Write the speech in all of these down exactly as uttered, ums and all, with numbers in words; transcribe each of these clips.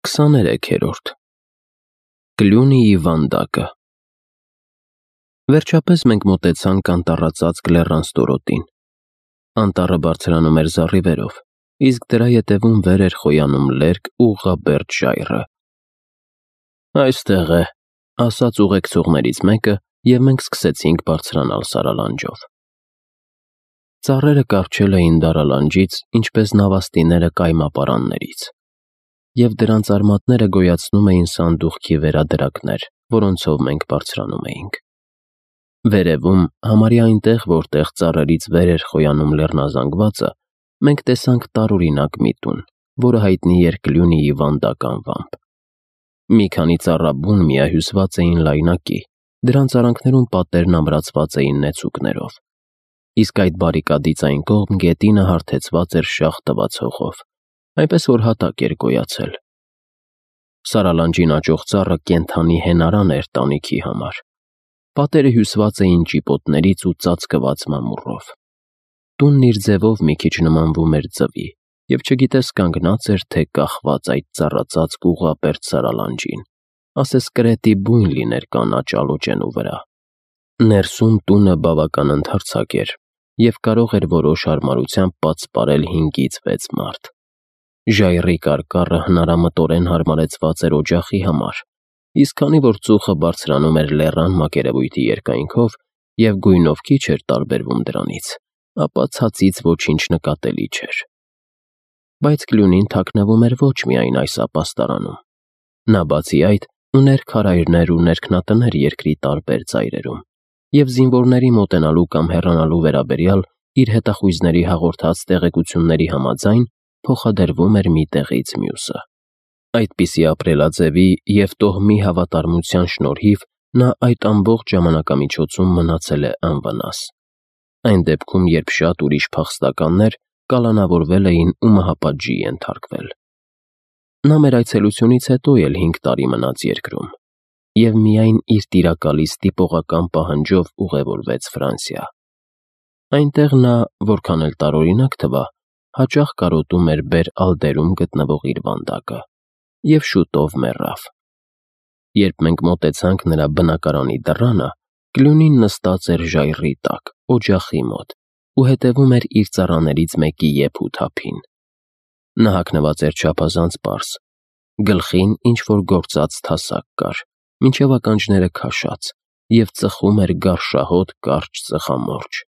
Քսաներեքերորդ Կլյունիի վանդակը Վերջապես մենք մոտեցանք անտառածածկ լեռան ստորոտին։ Անտառը բարձրանում էր զառիվերով, իսկ դրա ետևում վեր էր խոյանում լերկ ուղղաբերդ ժայռը։ «Այստեղ է», ասաց ուղեկցողներից մեկը, և մենք սկսեցինք բարձրանալ սարալանջով։ Ծառերը կառչել էին դարալանջից, ինչպես նավաստիները կայմապարաններից, և դրանց արմատները գոյացնում էին սանդուղքի վերադրակներ, որոնցով մենք բարձրանում էինք։ Վերևում, համարյա այնտեղ, որտեղ ծառերից վեր էր խոյանում լեռնազանգվածը, մենք տեսանք տարօրինակ մի տուն, որը հայտնի էր Կլյունիի վանդակ անվամբ։ Մի քանի ծառաբուն միահյուսված էին լայնակի, դրանց արանքներում պատերն ամրացված էին նեցուկներով, իսկ այդ բարիկադից այն կողմ գետինը հարթեցված էր շաղ տված հողով, այնպես որ հատակ էր գոյացել։ Սարալանջին աճող ծառը կենդանի հենարան էր տանիքի համար։ Պատերը հյուսված էին ճիպոտներից ու ծածկված մամուռով։ Տունն իր ձևով մի քիչ նմանվում էր ձվի, և չգիտես կանգնած էր, թե կախված այդ ծառածածկ ուղղաբերդ սարալանջին, ասես կրետի բույն լիներ կանաչ ալոճենու վրա։ Ներսում տունը բավական ընդարձակ էր և կարող էր որոշ հարմարությամբ պատսպարել հինգից վեց մարդ։ Ժայռի կարկառը հնարամտորեն հարմարեցված էր օջախի համար, իսկ քանի որ ծուխը բարձրանում էր լեռան մակերևույթի երկայնքով և գույնով քիչ էր տարբերվում դրանից, ապա ցածից ոչինչ նկատելի չէր։ Բայց Կլյունին թաքնվում էր ոչ միայն այս ապաստարանում։ Նա բացի այդ ուներ քարայրներ ու ներքնատներ երկրի տարբեր ծայրերում, և զինվորների մոտենալու կամ հեռանալու վերաբերյալ իր հետախույզների հաղորդած տեղեկությունների համաձայն փոխադրվում էր մի տեղից մյուսը։ Այդպիսի ապրելաձևի և տոհմի հավատարմության շնորհիվ նա այդ ամբողջ ժամանակամիջոցում մնացել է անվնաս։ Այն դեպքում, երբ շատ ուրիշ փախստականներ կալանավորվել էին ու մահապատժի ենթարկվել։ Նա մեր այցելությունից հետո էլ հինգ տարի մնաց երկրում և միայն իր տիրակալի ստիպողական պահանջով ուղևորվեց Ֆրանսիա։ Այնտեղ նա, որքան էլ տարօրինակ թվա, հաճախ կարոտում էր Բեր-Ալդերում գտնվող իր վանդակը և շուտով մեռավ։ Երբ մենք մոտեցանք նրա բնակարանի դռանը, Կլյունին նստած էր ժայռի տակ, օջախի մոտ ու հետևում էր իր ծառաներից մեկի եփ ու թափին։ Նա հագնված էր չափազանց պարզ, գլխին ինչ-որ գործած թասակ կար, մինչև ականջները քաշած, և ծխում էր գարշահոտ կարճ ծխամորճ։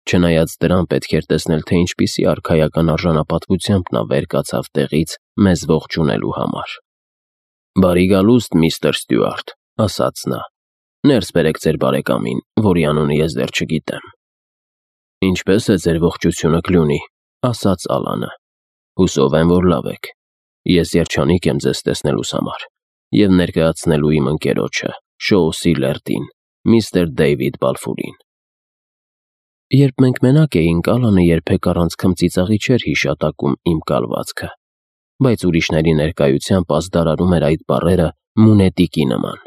Չնայած դրան, պետք էր տեսնել, թե ինչպիսի արքայական արժանապատվությամբ նա վեր կացավ տեղից մեզ ողջունելու համար։ «Բարի գալուստ, միստր Ստյուարտ», ասաց նա։ «Ներս բերեք ձեր բարեկամին, որի անունը ես դեռ չգիտեմ»։ «Ինչպե՞ս է ձեր ողջությունը, Կլյունի», ասաց Ալանը։ «Հուսով եմ, որ լավ եք։ Ես երջանիկ եմ ձեզ տեսնելուս համար և ներկայացնելու իմ ընկերոջը, Շոուսի լերդին, միստր Դեյվիդ Բալֆուրին»։ Երբ մենք մենակ էինք, Ալանը երբեք առանց քմծիծաղի չէր հիշատակում իմ կալվածքը, բայց ուրիշների ներկայությամբ ազդարարում էր այդ բառերը մունետիկի նման։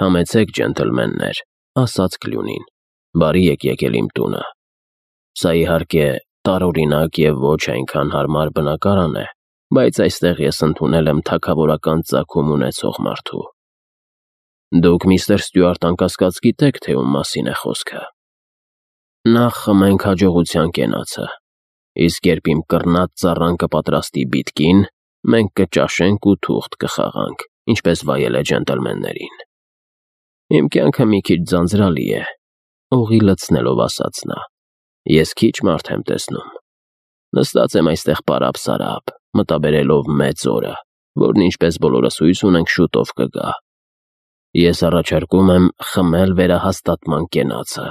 «Համեցեք, ջենտլմեններ», ասաց Կլյունին, «բարի եք եկել իմ տունը։ Սա, իհարկե, տարօրինակ և ոչ այնքան հարմար բնակարան է, բայց այստեղ ես ընդունել եմ թագավորական ծագում ունեցող մարդու։ Դուք, միստր Ստյուարտ, անկասկած գիտեք, թե ում մասին է խոսքը։ Նախ խմենք հաջողության կենացը, իսկ երբ իմ կռնած ծառան կպատրաստի բիտկին, մենք կճաշենք ու թուղթ կխաղանք, ինչպես վայել է ջենտլմեններին։ Իմ կյանքը մի քիչ ձանձրալի է», օղի լցնելով ասաց նա։ «Ես քիչ մարդ եմ տեսնում։ Նստած եմ այստեղ պարապ-սարապ, մտաբերելով մեծ օրը, որն, ինչպես բոլորս հույս ունենք, շուտով կգա։ Ես առաջարկում եմ խմել վերահաստատման կենացը»։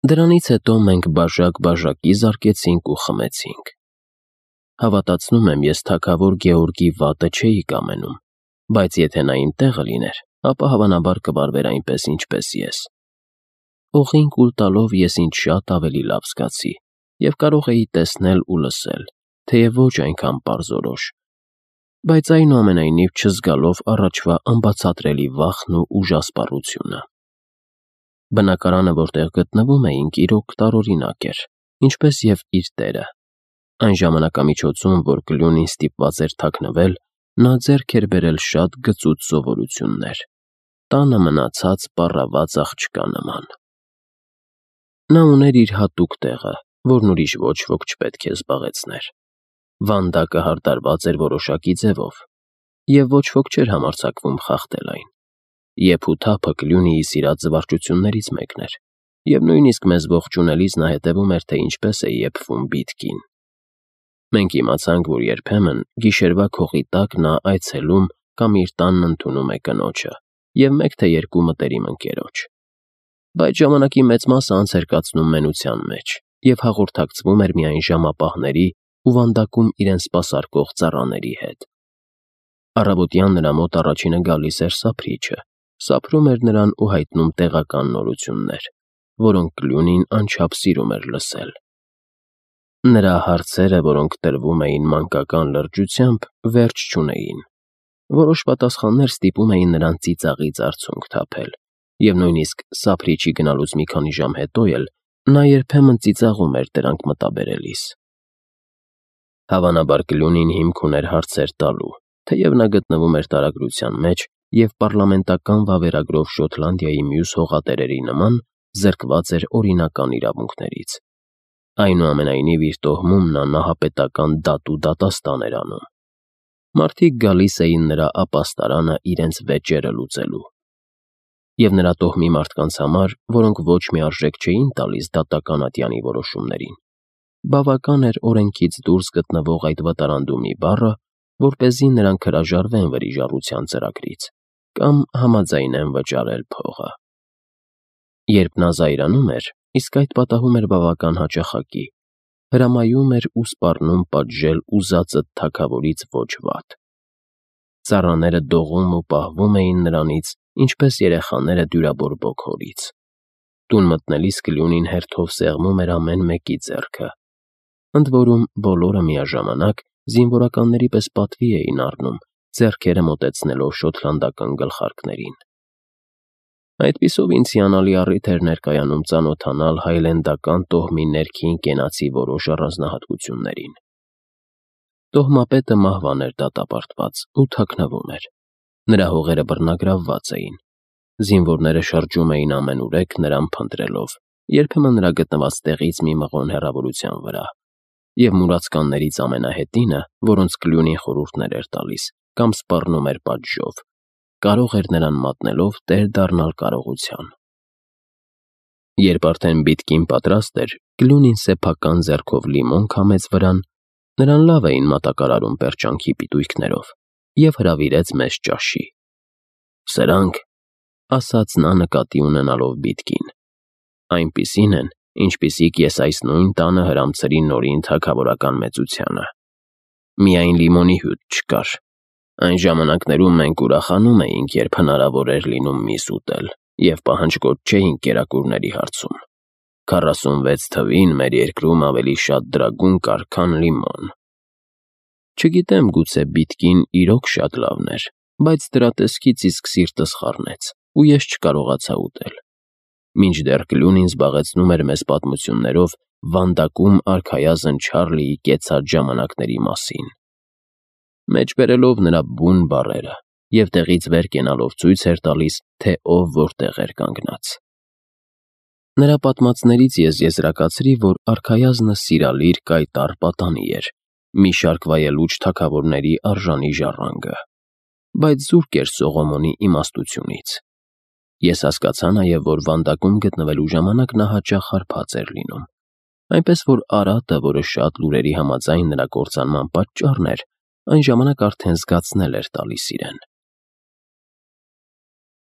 Դրանից հետո մենք բաժակ-բաժակի զարկեցինք ու խմեցինք։ Հավատացնում եմ, ես թագավոր Գեորգի վատը չէի կամենում, բայց եթե նա իմ տեղը լիներ, ապա հավանաբար կվարվեր այնպես, ինչպես ես։ Օղին կուլ տալով ես ինձ շատ ավելի լավ զգացի և կարող էի տեսնել ու լսել, թեև ոչ այնքան պարզորոշ, բայց այնուամենայնիվ չզգալով առաջվա անբացատրելի վախն ու ուժասպառությունը։ Բնակարանը, որտեղ գտնվում էինք, իրոք տարօրինակ էր, ինչպես և իր տերը։ Այն ժամանակամիջոցում, որ Կլյունին ստիպված էր թաքնվել, նա ձեռք էր բերել շատ գծուծ սովորություններ, տանը մնացած պառաված աղջկա նման։ Նա ուներ իր հատուկ տեղը, որն ուրիշ ոչ ոք չպետք է զբաղեցներ։ Վանդակը հարդարված էր որոշակի ձևով, և ոչ ոք չէր համարձակվում խախտել այն։ Եփ ու թափը Կլյունիի սիրած զվարճություններից մեկն էր, և նույնիսկ մեզ ողջունելիս նա հետևում էր, թե ինչպես է եփվում բիտկին։ Մենք իմացանք, որ երբեմն գիշերվա քողի տակ նա այցելում կամ իր տանն ընդունում է կնոջը և մեկ թե երկու մտերիմ ընկերոջ։ Բայց ժամանակի մեծ մասը անց էր կացնում մենության մեջ և հաղորդակցվում էր միայն ժամապահների ու վանդակում իրեն սպասարկող ծառաների հետ։ Առավոտյան նրա մոտ առաջինը գալիս էր սափրիչը, սափրում էր նրան ու հայտնում տեղական նորություններ, որոնք Կլյունին անչափ սիրում էր լսել։ Նրա հարցերը, որոնք տրվում էին մանկական լրջությամբ, վերջ չունեին։ Որոշ պատասխաններ ստիպում էին նրան ծիծաղից արցունք թափել, և նույնիսկ սափրիչի գնալուց մի քանի ժամ հետո էլ նա երբեմն ծիծաղում էր դրանք մտաբերելիս։ Հավանաբար Կլյունին հիմք ուներ հարցեր տալու, թեև նա գտնվում էր տարագրության մեջ և պառլամենտական վավերագրով Շոտլանդիայի մյուս հողատերերի նման զրկված էր օրինական իրավունքներից։ Այնուամենայնիվ իր տոհմում նա նահապետական դատ ու դատաստան էր անում։ Մարդիկ գալիս էին նրա ապաստարանը իրենց վեճերը լուծելու։ Եվ նրա տոհմի մարդկանց համար, որոնք ոչ մի արժեք չէին տալիս դատական ատյանի որոշումներին, բավական էր օրենքից դուրս գտնվող այդ վտարանդումի բառը, որպեսզի նրանք հրաժարվեն վրիժառության ծրագրից կամ համաձայնեն վճարել փողը։ Երբ նա զայրանում էր, իսկ այդ պատահում էր բավական հաճախակի, հրամայում էր ու սպառնում պատժել ուզածդ թագավորից ոչ վատ։ Ծառաները դողում ու պահվում էին նրանից, ինչպես երեխաները դյուրաբորբոք հորից։ Տուն մտնելիս Կլյունին հերթով սեղմում էր ամեն մեկի ձեռքը։ Ընդ որում, բոլորը միաժամանակ զինվորականների պես պատվի էին առնում, ձեռքերը մոտեցնելով շոտլանդական գլխարկներին։ Այդպիսով ինձ հիանալի առիթ էր ներկայանում ծանոթանալ հայլենդական տոհմի ներքին կենացի որոշ առանձնահատկություններին։ Տոհմապետը մահվան էր դատապարտված ու թաքնվում էր։ Նրա հողերը բռնագրավված էին։ Զինվորները շրջում էին ամենուրեք նրան փնտրելով, երբեմն նրա գտնված տեղից մի մղոն հեռավորության վրա, և մուրացկաններից ամենահետինը, որոնց Կլյունին խորհուրդներ էր տալիս կամ սպառնում էր պատժով, կարող էր նրան մատնելով տեր դառնալ կարողության։ Երբ արդեն բիտկին պատրաստ էր, Կլյունին սեփական ձեռքով լիմոն քամեց վրան, նրան լավ էին մատակարարում պերճանքի պիտույքներով, և հրավիրեց մեզ ճաշի։ «Սրանք,» ասաց նա նկատի ունենալով բիտկին, «այնպիսին են, ինչպիսիք ես այս նույն տանը հրամցրի Նորին թագավորական մեծությանը։ Միայն լիմոնի հյութ չկար։ Այն ժամանակներում մենք ուրախանում էինք, երբ հնարավոր էր լինում միս ուտել, և պահանջկոտ չէինք կերակուրների հարցում։ Քառասունվեց թվին մեր երկրում ավելի շատ դրագուն կար, քան լիմոն։ Չգիտեմ, գուցե բիտկին իրոք շատ լավն էր, բայց դրա տեսքից իսկ սիրտս խառնեց, ու ես չկարողացա ուտել։ Մինչդեռ Կլյունին զբաղեցնում էր մեզ պատմություններով վանդակում արքայազն Չարլիի կեցած ժամանակների մասին, մեջբերելով նրա բուն բառերը և տեղից վեր կենալով ցույց էր տալիս, թե ով որտեղ էր կանգնած։ Նրա պատմածներից ես եզրակացրի, որ արքայազնը սիրալիր կայտառ պատանի էր, մի շարք վայելուչ թագավորների արժանի ժառանգը, բայց զուրկ էր Սողոմոնի իմաստությունից։ Ես հասկացա նաև, որ վանդակում գտնվելու ժամանակ նա հաճախ հարբած էր լինում, այնպես որ արատը, որը շատ լուրերի համաձայն նրա կործանման պատճառն էր, այն ժամանակ արդեն զգացնել էր տալիս իրեն։